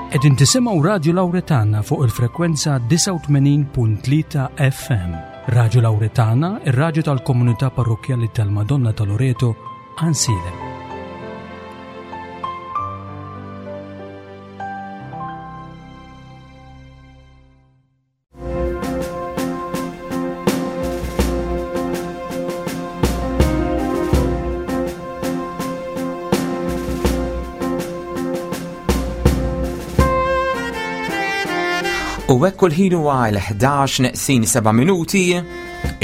Qegħdin tisimgħu Radju Lawretana fuq il-frekwenza 89.3 FM. Radju Lawretana, ir-radju tal-komunità parrokkjali tal-Madonna ta' Loreto, Ansilem. U hekk kull ħin huwa l-11 neqsin 7 minuti,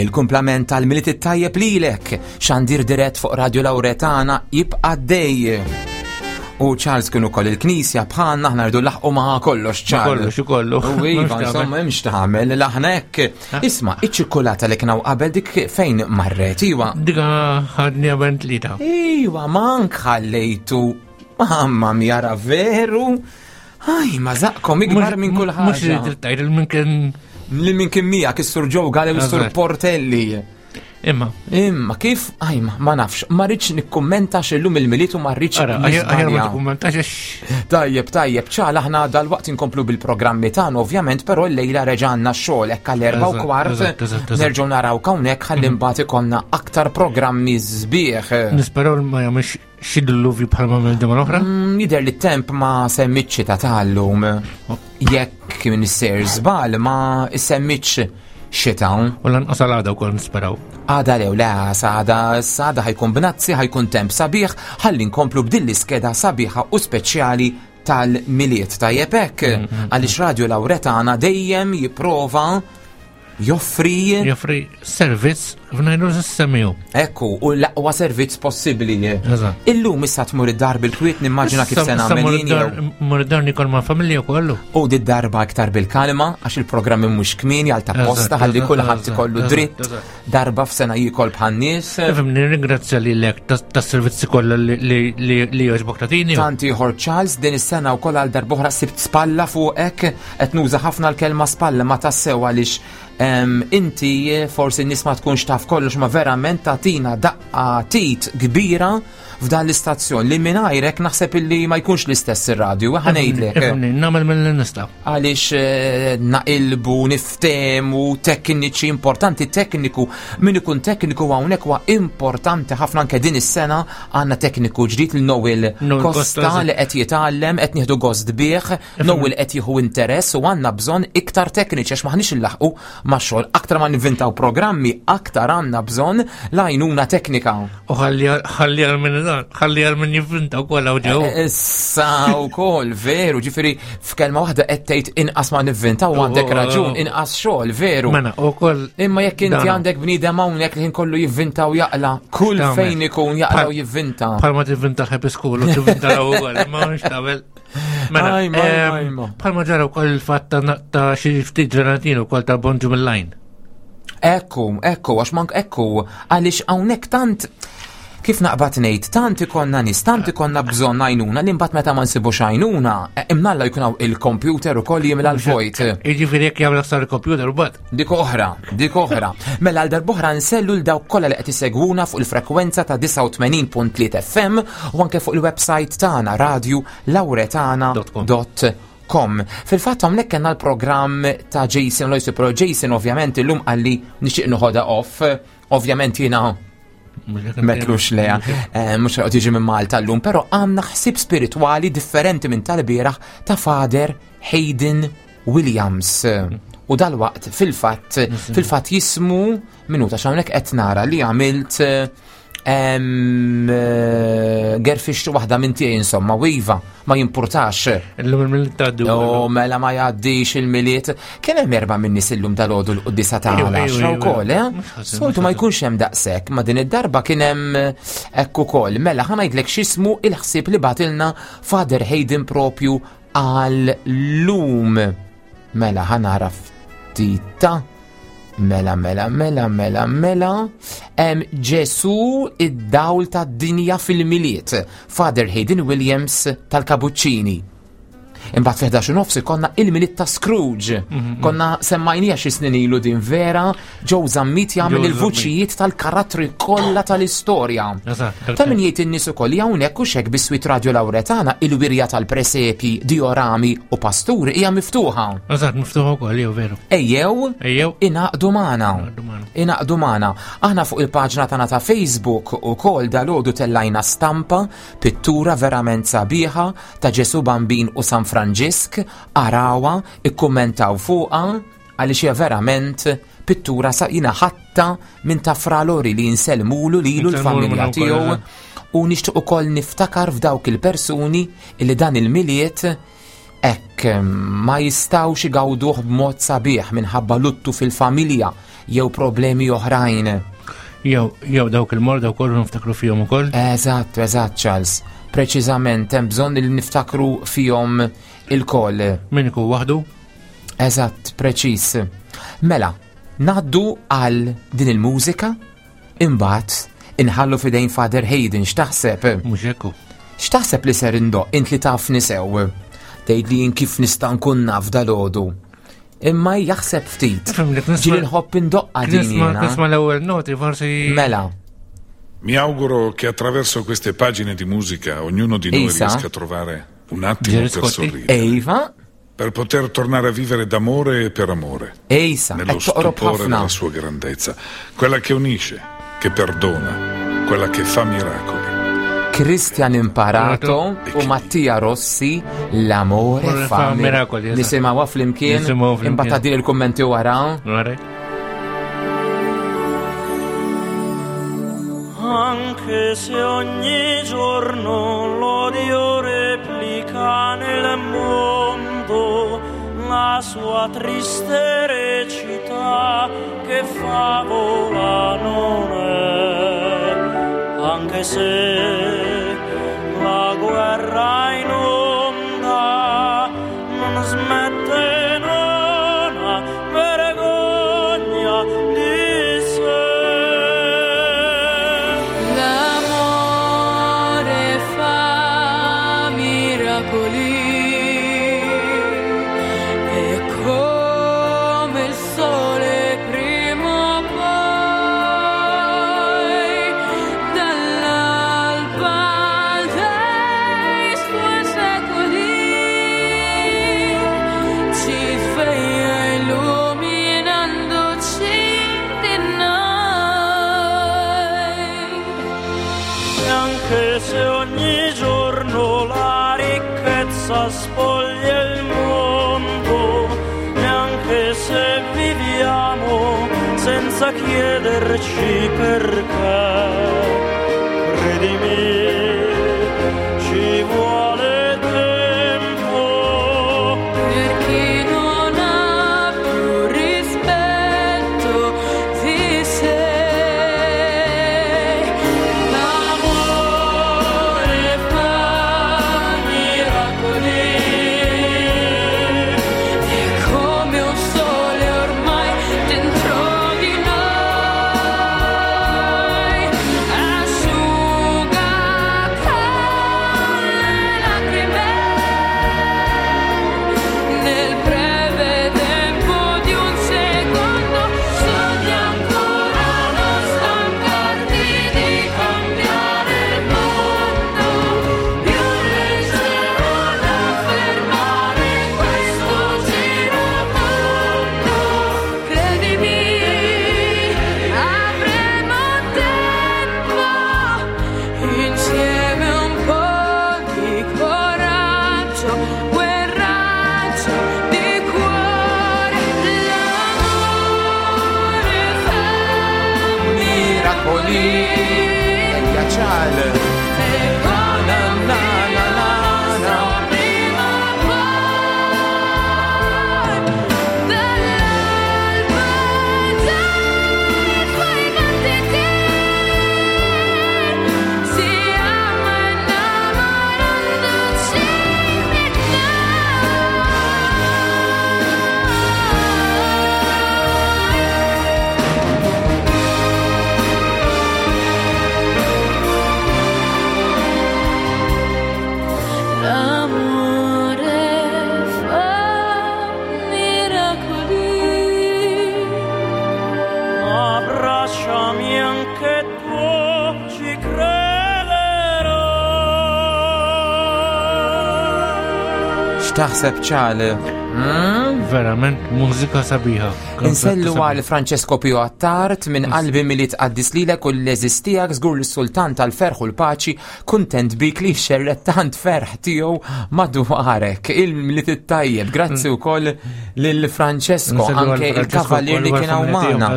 il-kumplament tal-Milied it-tajjeb lilek, xandir dirett fuq Radio Lauretana jibqa' dej. U Charles kienu koll il-knisja bħalna aħna rridu laħqu ma' kollox Charles. Kollox kollu. U iva, insomma, hemmx tagħmel l-aħna hekk. Isma' iċ-ċikkulata li kien hawn qabel dik fejn marret, iwa. Dika ħadni għaben tlita. Iwa, mank ħallejtu. Mamma mia ra veru. Aj, ma zaqkom ikbar minn kull ħaġa. Mhux li tajt il minn kien. Li minn kien miegħek is-Sur Joe Gale u s-Sur Portelli. Imma. Imma kif, aj, ma nafx, ma rridx nikkummenta x'illum il-miliet u ma rridx. Ara, aħjar ma tikkummentax Tajjeb, tajjeb, ċala aħna dal-waqt inkomplu bil-programmi tagħna ovvjament, però llejla reġa' għandna x-xogħol hekk għall-erba' u kwart. Nerġgħu naraw hawnhekk ħalli mhm. mbagħad ikollna aktar programmi sbieħ. Nisperaw ma jagħmilx xi dilluvju bħalma mill ġimgħa l-oħra? Mm, jidher li t-temp ma semmitx ta' tal-lum. Jekk minn isser żbal ma semmitx xita. U lanqas għal għada wkoll nisperaw. Għada lew le għada għada ħajkun bnazzi, ħajkun temp sabiħ, ħalli nkomplu b'din l-iskeda sabiħa u speċjali tal-miliet tajjeb hekk mm, mm, għaliex Radio Lauretana dejjem jipprova joffri joffri servizz f'ngħidu s-semiju. Ekku, u l-aqwa servizz possibbli. Illum issa tmur id-dar bil-kwiet nimmaġina kif se nagħmel jien. Mur id-dar nikol ma' familja kollu. U di darba iktar bil-kalma għax il-programmi mhux kmieni għal ta' posta ħalli kulħadd ikollu dritt darba f'sena jikol bħan-nies. Ifhem nirringrazzja lilek tas-servizzi kollha li jogħġbok tagħtini. Tant ieħor Charles din is-sena wkoll għal darb'oħra sibt spalla fuqek qed nuża ħafna l-kelma spalla ma tassew għaliex inti forsi n-nies ma tkunx taf kollox ma verament tagħtina daqqa tit kbira f'dan l-istazzjon li mingħajrek naħseb illi ma jkunx l-istess ir-radju, ħa ngħidlek. Nagħmel mill nista'. Għaliex eh, naqilbu, niftemu, tekniċi importanti, tekniku, min ikun tekniku hawnhekk huwa importanti ħafna anke din is-sena għandna tekniku ġdid l Noel Costa li qed jitgħallem, qed nieħdu gost bih, Noel qed jieħu interess u għandna bżonn iktar tekniċi għax maħniex illaħqu ma' xogħol. Aktar ma nivvintaw programmi, aktar għandna bżonn l-għajnuna teknika. U ħalli għal min ħalli għal min jivvinta wkoll hawn ġew. Eh, issa wkoll veru, ġifieri f'kelma waħda qed tgħid inqas ma nivvintaw għandek oh, raġun, oh. inqas xogħol, veru. Mela, ukoll. Imma jekk inti għandek bniedem hawnhekk li kollu jivvinta u jaqla, kull fejn ikun jaqla u jivvinta. Bħalma tivvinta l-happy school u tivvinta l-ewwel, ma nix tagħmel. Mela, bħalma ġara wkoll il-fatt ta' xi ftit ġenatin ukoll ta' Bonġu mill-lajn. Ekku, ekku, għax mank ekku, għaliex hawnhekk tant kif naqbad ngħid, tant ikonna nies, tant ikonna bżonn għajnuna li mbagħad meta ma nsibux għajnuna, eh, imnalla jkun hawn il-kompjuter ukoll jimla l-vojt. Jiġifieri jekk jagħmel sar il-kompjuter u bad. Dik oħra, dik oħra. Mela għal darb'oħra nsellu l dawk kollha li qed isegwuna fuq il-frekwenza ta' 89.3 FM u anke fuq il-website tagħna radio lauretana.com. Fil-fatt hawnhekk kellna l-programm ta' Jason Loyce, però Jason ovvjament illum qalli nixtieq noħodha off. Ovvjament jiena Metlux leja, eh, mux għod jiġi minn Malta l-lum, pero għamna ħsib spirituali differenti minn tal-bieraħ ta' Father Hayden Williams. U dal-waqt fil-fatt, fil-fatt jismu minuta x'hawnhekk qed nara li għamilt eh, gerfix waħda minn tiegħi insomma, u iva, ma jimpurtax. Illum il-miliet tgħaddi. Oh, mela ma jgħaddix il-miliet. Kien hemm erba' minn nies illum dal-għodu l-quddisa ta' għaxra wkoll, eh? Soltu ma jkunx hemm daqshekk, ma din id-darba kien hemm eh, hekk ukoll. Mela ħa ngħidlek x'ismu il-ħsieb li batilna Father Hayden propju għal lum. Mela ħa nara ftita. Mela, mela, mela, mela, mela. Ġesu id-dawl tad-dinja fil-miliet. Father Hayden Williams tal-Kabuċċini. Imbagħad fi 11 nofs ikollna il-Milied ta' Scrooge. Konna semmajnija xi snin ilu din vera, Joe Zammit jagħmel il-vuċijiet tal-karattri kollha tal-istorja. Ta' min jgħid in-nies ukoll li hawnhekk u xek biswit Radio Lauretana il-wirja tal-presepji, diorami u pasturi hija miftuħa. Eżatt, miftuħa wkoll jew veru. Ejjew, ejjew ingħaqdu magħna. Ingħaqdu magħna. Aħna fuq il-paġna tagħna ta' Facebook ukoll dalgħodu tellajna stampa, pittura verament sabiħa ta' Ġesu Bambin u San Franġisk, arawha, ikkummentaw fuqha għaliex hija verament pittura sa jina ħatta minn ta' Fra Lori li jinsellmulu lilu l-familja tiegħu u nixtieq ukoll niftakar f'dawk il-persuni li dan il-Milied hekk ma jistgħux igawduh b'mod sabiħ minħabba luttu fil-familja jew problemi oħrajn. Jew jew dawk il-morda wkoll niftakru fihom ukoll. Eżatt, eżatt Charles. Preċiżament hemm bżonn li niftakru fihom ilkoll. Min ikun waħdu? Eżatt, preċiż. Mela, ngħaddu għal din il-mużika, imbagħad inħallu f'idejn Father Hayden x'taħseb? Mhux hekk hu. X'taħseb li ser indoqq int li tafni sew? Tgħid li jien kif nista' nkun naf dalgħodu. Imma jaħseb ftit. Ġieli nħobb indoqqa din jiena. Nisma' l-ewwel noti forsi. Mela. Mi auguro che attraverso queste pagine di musica ognuno di noi Isa. riesca a trovare un attimo per sorridere. Eva. Per poter tornare a vivere d'amore e per amore. Ejsa, Nello qed toqrob stupore ħafna. della sua grandezza, quella che unisce, che perdona, quella che fa miracoli. Christian Imparato u Mattia Rossi L'amore Amore fa fa miracoli, eżatt. Nisimgħuha flimkien, Nisimgħuha flimkien. imbagħad tgħaddili l-kummenti wara. Alright. Anche se ogni giorno l'odio replica nel mondo la sua triste recita che favola non è, anche se la guerra in onda non smette, non ha vergogna di sé. L'amore fa miracoli e come il sole prima o poi dall'alba dei suoi secoli ci sveglia illuminandoci di noi. E anche se ogni giorno la ricchezza spoglia il mondo, e anche se viviamo senza chiederci perché, credimi, ci vuole tempo. Per chi non ha più rispetto di sé, l'amore fa miracoli, è come un sole ormai dentro di noi, asciuga con le lacrime. Nel breve tempo di un secondo sogna ancora non stancarti di cambiare il mondo, più leggero da fermare questo giro tondo. Credimi, avremo tempo insieme un po' di coraggio, quel raggio di cuore, l'amore fa Miracoli. Ejja Charles. E come Na, un na, na, na, na. prima o poi dall'alba dei suoi battiti si ama innamorandoci di noi. X'taħseb ċal? Hmm? Verament mużika sabiħa. Insellu għal Francesco Pio Attard minn qalbi milli tqaddis lilek u l-eżis tiegħek żgur lis-sultan tal-ferħ u l-paċi kuntent bik li xerret tant ferħ tiegħu madwarek. Il-miliet it-tajjeb. Grazzi wkoll lil Francesco anke il-kavalier li kien hawn magħna.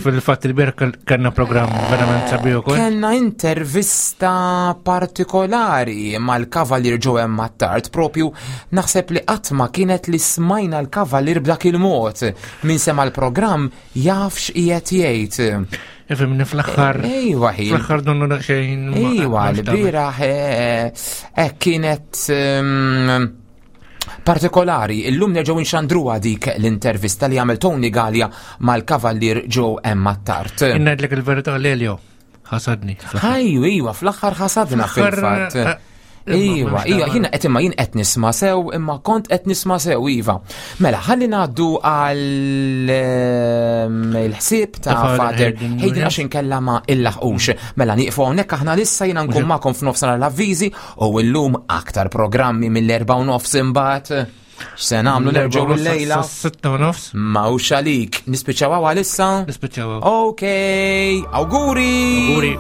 Fil-fatt il-bieraħ kellna programm verament sabiħ ukoll. Kellna intervista partikolari mal-Kavalier Joe Mattard, propju naħseb li qatt ma kienet li smajna l-Kavalier b'dak il-mod. Min sema l-programm jaf x'qiegħed jgħid. Ifimni fl-aħħar. Ejwa ħin. Fl-aħħar donnu daqsxejn. Ejwa, l-bieraħ eh, eh, kienet ehm, partikolari, illum nerġgħu nxandruha dik l-intervista li għamel Tony Gallia mal-Kavallier Joe Emma Tart. Ngħidlek il-verità Lelio, ħasadni. Ħajju, iwa, fl-aħħar ħasadna fil-fatt. Eh, Iwa, iwa, jina qed imma jien qed nisma' sew, imma kont qed nisma' sew, iva. Mela, ħalli ngħaddu għal ehm, il-ħsieb ta' Father Hayden għax inkella ma illaħqux. Mela nieqfu hawnhekk aħna lissa jiena nkun magħkom f'nofsinhar l-avviżi U illum aktar programmi mill-erba' u nofs imbagħad. X'se nagħmlu nerġgħu l-lejla? Sitta u nofs. Mawx għalik. Nispiċċaw għalissa? Nispiċċaw. Ok, auguri. Auguri.